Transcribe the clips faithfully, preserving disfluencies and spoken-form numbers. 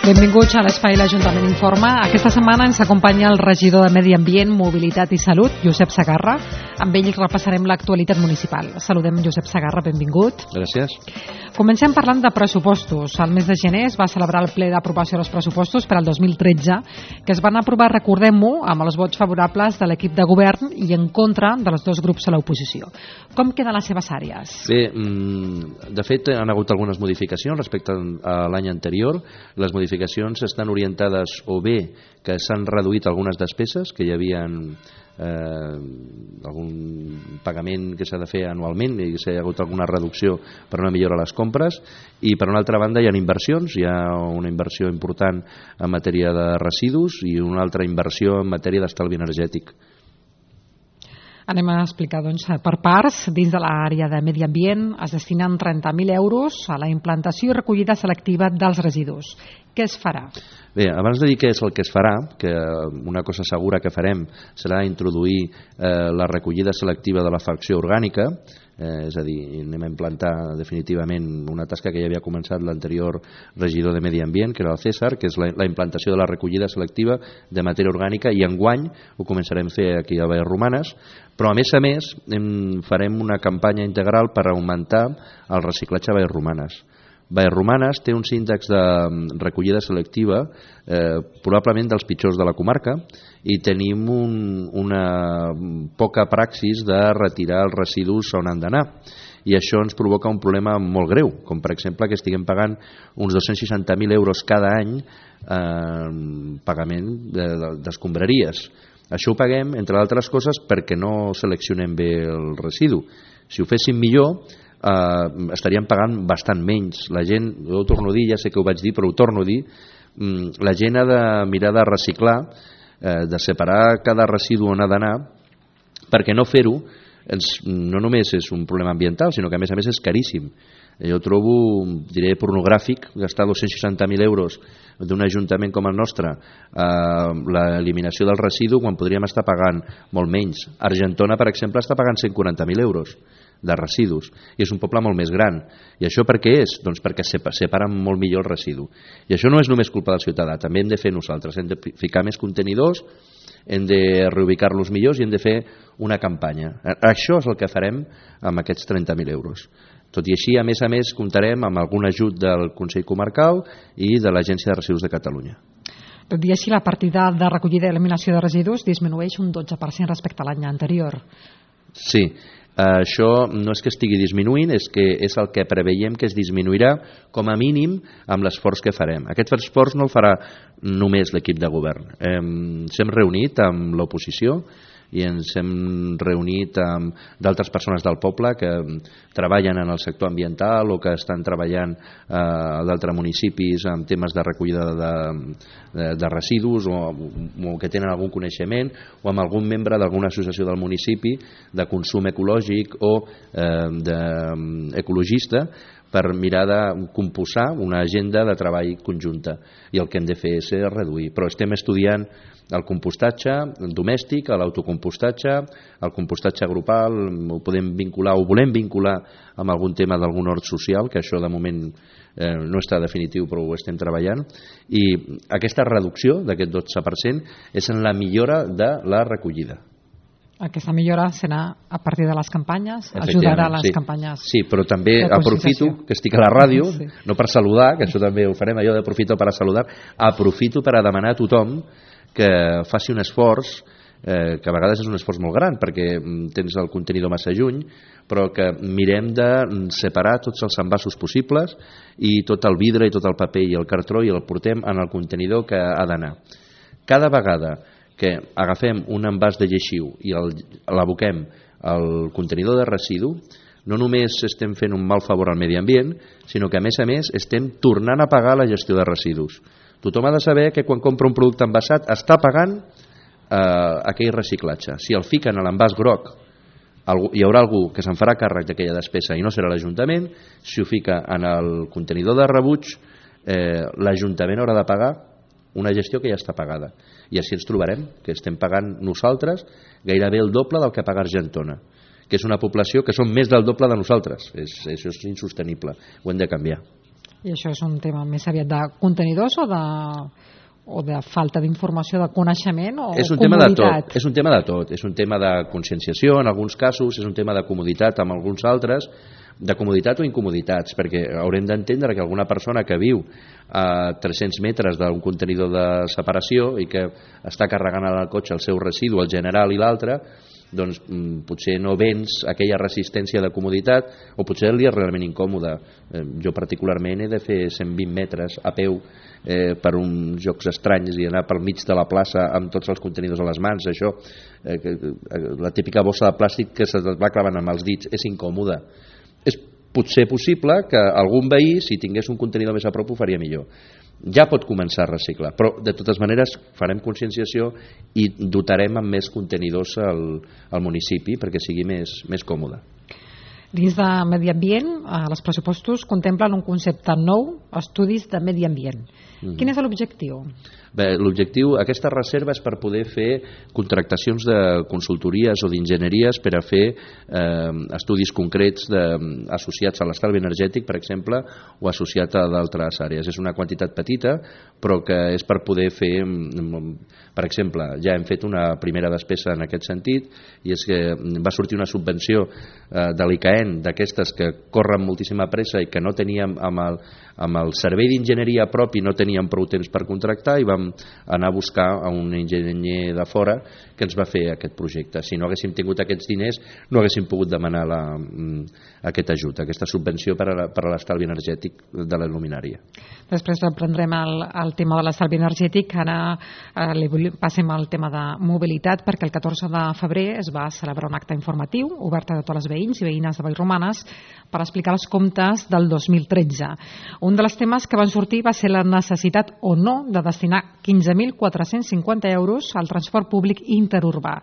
Benvinguts a l'Espai l'Ajuntament Informa. Aquesta setmana ens acompanya el regidor de Medi Ambient, Mobilitat i Salut, Josep Segarra. Amb ell repassarem l'actualitat municipal. Saludem Josep Segarra, benvingut. Gràcies. Comencem parlant de pressupostos. Al mes de gener es va celebrar el ple d'aprovació dels pressupostos per al dos mil tretze, que es van aprovar, recordem-ho, amb els vots favorables de l'equip de govern i en contra dels dos grups a l'oposició. Com queden les seves àrees? Bé, de fet, han hagut algunes modificacions respecte a l'any anterior. Les modificacions estan orientades o bé que s'han reduït algunes despeses, que hi havia eh, algun pagament que s'ha de fer anualment i s'ha hagut alguna reducció per una millora a les compres, i per una altra banda hi ha inversions, hi ha una inversió important en matèria de residus i una altra inversió en matèria d'estalvi energètic. Anem a explicar doncs, per parts. Dins de l'àrea de medi ambient es destinen trenta mil euros a la implantació i recollida selectiva dels residus. Què es farà? Bé, abans de dir què és el que es farà, que una cosa segura que farem serà introduir eh, la recollida selectiva de la fracció orgànica, eh, és a dir, anem a implantar definitivament una tasca que ja havia començat l'anterior regidor de Medi Ambient, que era el César, que és la, la implantació de la recollida selectiva de matèria orgànica, i enguany ho començarem a fer aquí a Vallromanes, però a més a més hem, farem una campanya integral per augmentar el reciclatge a Vallromanes. Vallromanes té uns índexs de recollida selectiva eh, probablement dels pitjors de la comarca, i tenim un, una poca praxis de retirar els residus on han d'anar, i això ens provoca un problema molt greu, com per exemple que estiguem pagant uns dos-cents seixanta mil euros cada any en eh, pagament d'escombraries. Això ho paguem, entre altres coses, perquè no seleccionem bé el residu. Si ho féssim millor, Uh, estaríem pagant bastant menys. La gent, jo ho torno a dir, ja sé que ho vaig dir, però ho torno a dir, um, la gent ha de mirar de reciclar, uh, de separar cada residu on ha d'anar, perquè no fer-ho ens, no només és un problema ambiental, sinó que a més a més és caríssim. Jo trobo, diré, pornogràfic gastar dos-cents seixanta mil euros d'un ajuntament com el nostre a l'eliminació del residu quan podríem estar pagant molt menys. Argentona, per exemple, està pagant cent quaranta mil euros de residus, i és un poble molt més gran. I això per què és? Doncs perquè separen molt millor el residu. I això no és només culpa del ciutadà, també hem de fer nosaltres, hem de ficar més contenidors, hem de reubicar-los millors i hem de fer una campanya. Això és el que farem amb aquests trenta mil euros. Tot i així, a més a més, comptarem amb algun ajut del Consell Comarcal i de l'Agència de Residus de Catalunya. Tot i així, la partida de recollida i eliminació de residus disminueix un dotze per cent respecte a l'any anterior. Sí, això no és que estigui disminuint, és que és el que preveiem que es disminuirà com a mínim amb l'esforç que farem. Aquest esforç no el farà només l'equip de govern. Ens hem reunit amb l'oposició i ens hem reunit amb d'altres persones del poble que treballen en el sector ambiental o que estan treballant a d'altres municipis en temes de recollida de, de, de residus o, o que tenen algun coneixement, o amb algun membre d'alguna associació del municipi de consum ecològic o eh, de, ecologista, per mirar de composar una agenda de treball conjunta, i el que hem de fer és reduir. Però estem estudiant el compostatge domèstic, l'autocompostatge, el compostatge grupal, ho podem vincular o volem vincular amb algun tema d'algun hort social, que això de moment eh, no està definitiu però ho estem treballant, i aquesta reducció d'aquest dotze per cent és en la millora de la recollida. Aquesta millora serà a partir de les campanyes, ajudarà a les sí. campanyes. Sí, però també aprofito que estic a la ràdio, sí. no per saludar, que això també ho farem, allò d'aprofito per a saludar, aprofito per a demanar a tothom que faci un esforç, eh, que a vegades és un esforç molt gran perquè tens el contenidor massa lluny, però que mirem de separar tots els envasos possibles i tot el vidre i tot el paper i el cartró i el portem en el contenidor que ha d'anar. Cada vegada que agafem un envàs de lleixiu i l'aboquem al contenidor de residu, no només estem fent un mal favor al medi ambient, sinó que a més a més estem tornant a pagar la gestió de residus. Tothom ha de saber que quan compra un producte envasat està pagant eh, aquell reciclatge. Si el fiquen a l'envàs groc, hi haurà algú que se'n farà càrrec d'aquella despesa i no serà l'Ajuntament. Si ho fica en el contenidor de rebuig, eh, l'Ajuntament haurà de pagar una gestió que ja està pagada. I així ens trobarem, que estem pagant nosaltres gairebé el doble del que paga Argentona, que és una població que són més del doble de nosaltres. És, això és insostenible, ho hem de canviar. I això és un tema més aviat de contenidors o de, o de falta d'informació, de coneixement o és un comoditat? Tema de tot, és un tema de tot. És un tema de conscienciació en alguns casos, és un tema de comoditat en alguns altres, de comoditat o incomoditats, perquè haurem d'entendre que alguna persona que viu a tres-cents metres d'un contenidor de separació i que està carregant al cotxe el seu residu, el general i l'altre, doncs potser no vens aquella resistència de comoditat, o potser li és realment incòmode. Eh, jo particularment he de fer cent vint metres a peu eh, per uns jocs estranys i anar pel mig de la plaça amb tots els contenidors a les mans. Això, eh, la típica bossa de plàstic que se va clavant amb els dits, és incòmode. És potser possible que algun veí, si tingués un contenidor més a prop, ho faria millor. Ja pot començar a reciclar, però de totes maneres farem conscienciació i dotarem amb més contenidors al, al municipi perquè sigui més, més còmode. Dins de medi ambient, els pressupostos contemplen un concepte nou, estudis de medi ambient. Mm-hmm. Quin és l'objectiu? Bé, l'objectiu, aquesta reserva és per poder fer contractacions de consultories o d'enginyeries per a fer eh, estudis concrets de, associats a l'estalvi energètic, per exemple, o associat a d'altres àrees. És una quantitat petita, però que és per poder fer, per exemple, ja hem fet una primera despesa en aquest sentit, i és que va sortir una subvenció eh, de l'I C A E N, d'aquestes que corren moltíssima pressa i que no teníem amb el, amb el servei d'enginyeria propi, no teníem prou temps per contractar, i vam anar a buscar a un enginyer de fora que ens va fer aquest projecte. Si no haguéssim tingut aquests diners, no haguéssim pogut demanar la, aquest ajut, aquesta subvenció per a, per a l'estalvi energètic de la luminària. Després reprendrem el, el tema de l'estalvi energètic. Ara eh, li passem al tema de mobilitat, perquè el catorze de febrer es va celebrar un acte informatiu obert a tots els veïns i veïnes de Vallromanes per explicar els comptes del dos mil tretze. Un dels temes que van sortir va ser la necessitat o no de destinar quinze mil quatre-cents cinquanta euros al transport públic interurbà.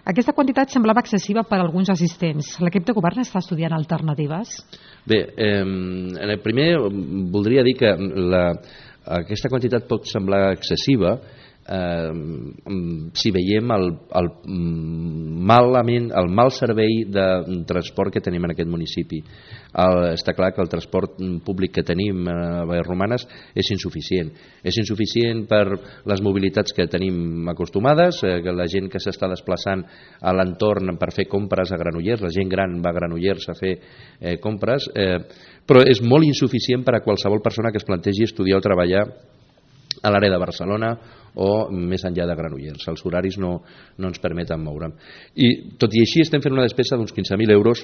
Aquesta quantitat semblava excessiva per a alguns assistents. L'equip de govern està estudiant alternatives? Bé, eh, primer voldria dir que la, aquesta quantitat pot semblar excessiva eh, si veiem el, el, malament, el mal servei de transport que tenim en aquest municipi. El, està clar que el transport públic que tenim a Vallromanes és insuficient. És insuficient per les mobilitats que tenim acostumades, eh, que la gent que s'està desplaçant a l'entorn per fer compres a Granollers, la gent gran va a Granollers a fer eh, compres, eh, però és molt insuficient per a qualsevol persona que es plantegi estudiar o treballar a l'àrea de Barcelona o més enllà de Granollers. Els horaris no, no ens permeten moure'm. I tot i així estem fent una despesa d'uns quinze mil euros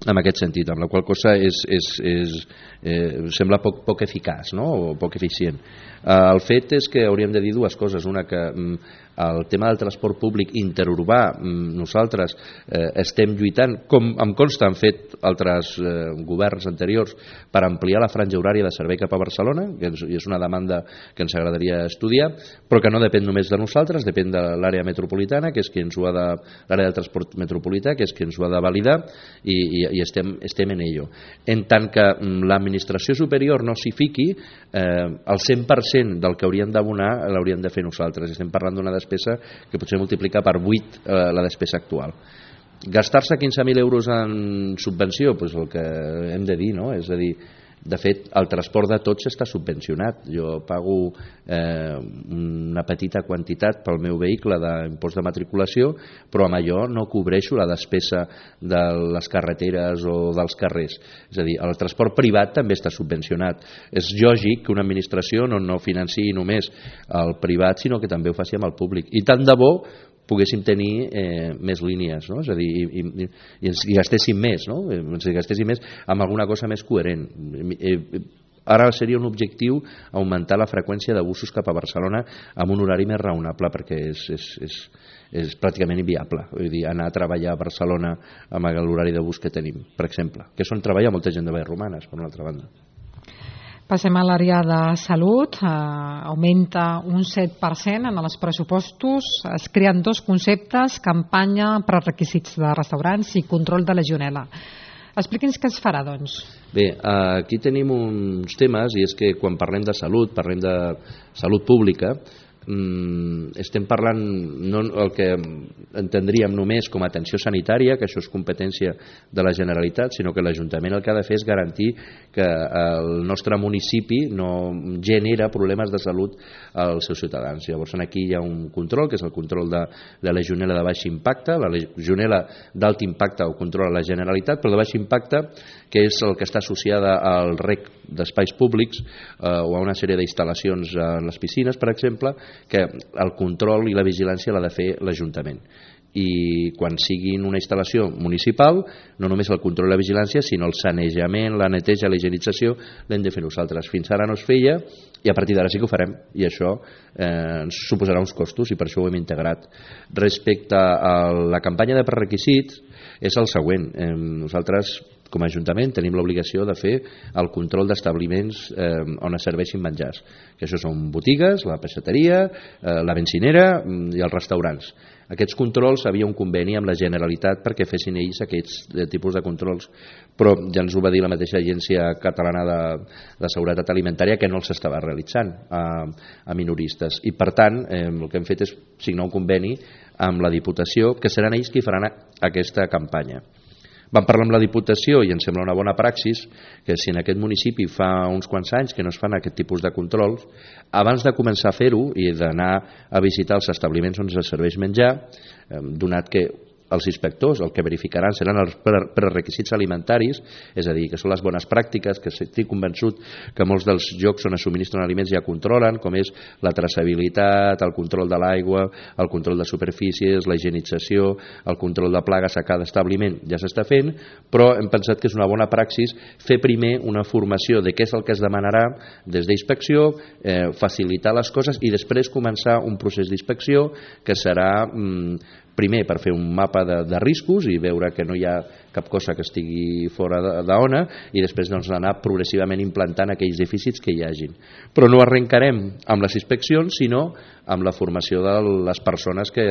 en aquest sentit, amb la qual cosa és, és, és, eh, sembla poc, poc eficaç, no? O poc eficient. Eh, el fet és que hauríem de dir dues coses. Una, que mm, el tema del transport públic interurbà, mm, nosaltres eh, estem lluitant, com em consta han fet altres eh, governs anteriors, per ampliar la franja horària de servei cap a Barcelona, que és, és una demanda que ens agradaria estudiar, però que no depèn només de nosaltres, depèn de l'àrea metropolitana, que és qui ens ho ha de, l'àrea del transport metropolità, que és qui ens ho ha de validar, i, i i estem, estem en ello. En tant que l'administració superior no s'hi fiqui, eh, el cent per cent del que hauríem d'abonar l'hauríem de fer nosaltres. Estem parlant d'una despesa que potser multiplica per vuit eh, la despesa actual. Gastar-se quinze mil euros en subvenció, doncs el que hem de dir, no? És a dir, de fet, el transport de tots està subvencionat. Jo pago eh, una petita quantitat pel meu vehicle d'impost de matriculació, però amb allò no cobreixo la despesa de les carreteres o dels carrers. És a dir, el transport privat també està subvencionat. És lògic que una administració no, no financiï només el privat, sinó que també ho faci amb el públic. I tant de bo poguéssim tenir eh, més línies, no? És a dir, i, i, i ens gastéssim més, no? Ens gastéssim més amb alguna cosa més coherent. Eh, ara seria un objectiu augmentar la freqüència de busos cap a Barcelona amb un horari més raonable, perquè és, és, és, és pràcticament inviable. Vull dir, anar a treballar a Barcelona amb l'horari de bus que tenim, per exemple, que són treballar molta gent de Vallromanes, per una altra banda. Passem a l'àrea de salut. Eh, augmenta un set per cent en els pressupostos. Es creen dos conceptes: campanya, prerequisits de restaurants i control de legionel·la. Expliqui'ns què es farà, doncs. Bé, aquí tenim uns temes, i és que quan parlem de salut, parlem de salut pública, mm, estem parlant no el que entendríem només com a atenció sanitària, que això és competència de la Generalitat, sinó que l'Ajuntament el que ha de fer és garantir que el nostre municipi no genera problemes de salut als seus ciutadans. Llavors aquí hi ha un control, que és el control de, de la legionel·la de baix impacte. La legionel·la d'alt impacte ho controla la Generalitat, però de baix impacte, que és el que està associada al rec d'espais públics eh, o a una sèrie d'instal·lacions en les piscines, per exemple, que el control i la vigilància l'ha de fer l'Ajuntament. I quan siguin una instal·lació municipal, no només el control i la vigilància, sinó el sanejament, la neteja, la higienització, l'hem de fer nosaltres. Fins ara no es feia i a partir d'ara sí que ho farem, i això eh, ens suposarà uns costos i per això ho hem integrat. Respecte a la campanya de prerequisits, és el següent. Eh, nosaltres com a Ajuntament tenim l'obligació de fer el control d'establiments eh, on es serveixin menjars, que això són botigues, la peixateria, eh, la benzinera i els restaurants. Aquests controls havia un conveni amb la Generalitat perquè fessin ells aquests tipus de controls, però ja ens ho va dir la mateixa Agència Catalana de, de Seguretat Alimentària que no els estava realitzant a, a minoristes, i per tant eh, el que hem fet és signar un conveni amb la Diputació, que seran ells qui faran aquesta campanya. Vam parlar amb la Diputació i ens sembla una bona praxis que si en aquest municipi fa uns quants anys que no es fan aquest tipus de controls, abans de començar a fer-ho i d'anar a visitar els establiments on es serveix menjar, donat que els inspectors el que verificaran seran els prerequisits alimentaris, és a dir, que són les bones pràctiques, que estic convençut que molts dels llocs on es subministren aliments ja controlen, com és la traçabilitat, el control de l'aigua, el control de superfícies, la higienització, el control de plagues a cada establiment ja s'està fent, però hem pensat que és una bona praxis fer primer una formació de què és el que es demanarà des d'inspecció, eh, facilitar les coses i després començar un procés d'inspecció que serà mm, primer per fer un mapa de, de riscos i veure que no hi ha cap cosa que estigui fora d'ona i després doncs, anar progressivament implantant aquells dèficits que hi hagin. Però no arrencarem amb les inspeccions, sinó amb la formació de les persones que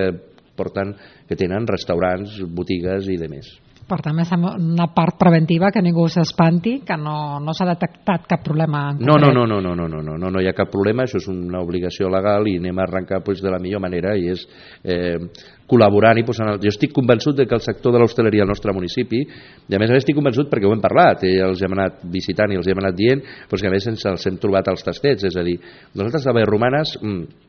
porten, que tenen restaurants, botigues i demés. Per tant, és una part preventiva, que ningú s'espanti, que no, no s'ha detectat cap problema en no, no, no, no, no, no, no, no, no hi ha cap problema, això és una obligació legal i anem a arrencar pues, de la millor manera, i és eh, col·laborant i posant... Jo estic convençut de que el sector de l'hostaleria al nostre municipi, i a més a més estic convençut perquè ho hem parlat, i els hem anat visitant i els hem anat dient, doncs que a més ens els hem trobat als tastets, és a dir, nosaltres a Vallromanes... Mm,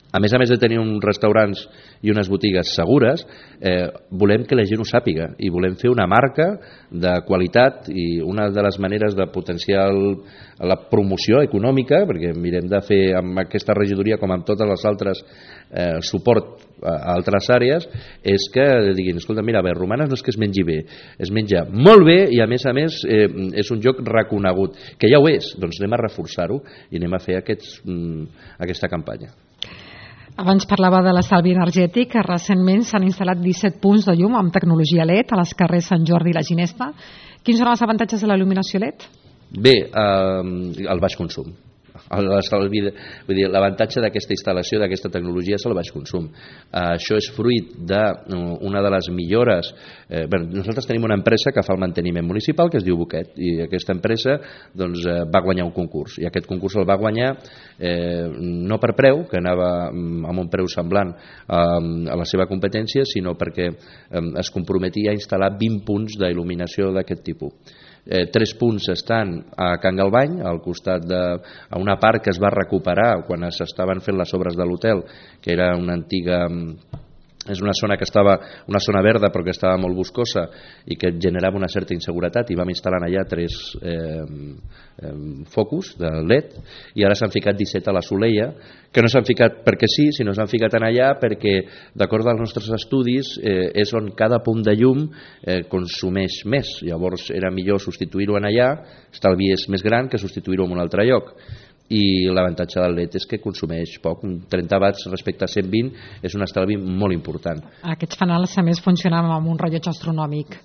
a més a més de tenir uns restaurants i unes botigues segures, eh, volem que la gent ho sàpiga i volem fer una marca de qualitat, i una de les maneres de potenciar el, la promoció econòmica, perquè mirem de fer amb aquesta regidoria com amb totes les altres eh, suport a altres àrees, és que diguin, escolta, mira, a Vallromanes no és que es mengi bé, es menja molt bé i a més a més eh, és un lloc reconegut, que ja ho és, doncs anem a reforçar-ho i anem a fer aquests, mm, aquesta campanya. Abans parlava de l'estalvi energètic, que recentment s'han instal·lat disset punts de llum amb tecnologia L E D a les carrers Sant Jordi i la Ginesta. Quins són els avantatges de la il·luminació L E D? Bé, eh, el baix consum. L'avantatge d'aquesta instal·lació, d'aquesta tecnologia, és el baix consum. Uh, això és fruit d'una de les millores. Eh, bé, nosaltres tenim una empresa que fa el manteniment municipal, que es diu Boquet, i aquesta empresa doncs, eh, va guanyar un concurs, i aquest concurs el va guanyar eh, no per preu, que anava amb un preu semblant eh, a la seva competència, sinó perquè eh, es comprometia a instal·lar vint punts d'il·luminació d'aquest tipus. Eh, tres punts estan a Can Galvany, al costat de a una part que es va recuperar quan s'estaven fent les obres de l'hotel, que era una antiga... és una zona que estava, una zona verda però que estava molt boscosa i que generava una certa inseguretat, i vam instal·lar allà tres eh, eh, focus de L E D, i ara s'han ficat disset a la Soleia, que no s'han ficat perquè sí, sinó s'han ficat en allà perquè, d'acord als nostres estudis, eh, és on cada punt de llum eh, consumeix més. Llavors era millor substituir-ho en allà, estalvi és més gran que substituir-ho en un altre lloc. I l'avantatge del L E D és que consumeix poc, trenta watts respecte a cent vint és un estalvi molt important. Aquests fanals a més funcionen amb un rellotge astronòmic.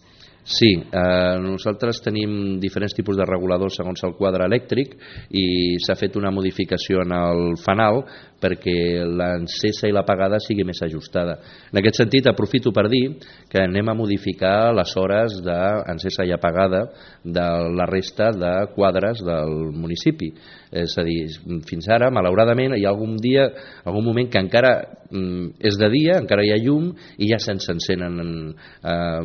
Sí, eh, nosaltres tenim diferents tipus de reguladors segons el quadre elèctric i s'ha fet una modificació en el fanal perquè l'encesa i l'apagada sigui més ajustada. En aquest sentit, aprofito per dir que anem a modificar les hores d'encesa i apagada de la resta de quadres del municipi. És a dir, fins ara, malauradament, hi ha algun dia, algun moment que encara mm, és de dia, encara hi ha llum i ja se'ns encenen eh,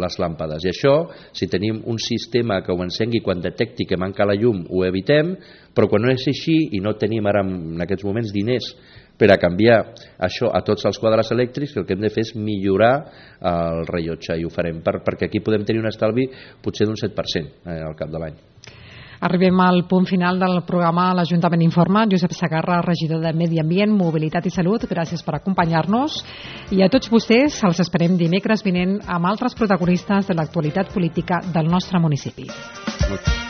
les làmpades. I això, si tenim un sistema que ho encengui quan detecti que manca la llum, ho evitem, però quan no és així i no tenim ara en aquests moments diners per a canviar això a tots els quadres elèctrics, el que hem de fer és millorar el rellotge i ho farem per, perquè aquí podem tenir un estalvi potser d'un set per cent eh, al cap de l'any. Arribem al punt final del programa L'Ajuntament Informa. Josep Segarra, regidor de Medi Ambient, Mobilitat i Salut, gràcies per acompanyar-nos. I a tots vostès els esperem dimecres vinent amb altres protagonistes de l'actualitat política del nostre municipi. Moltes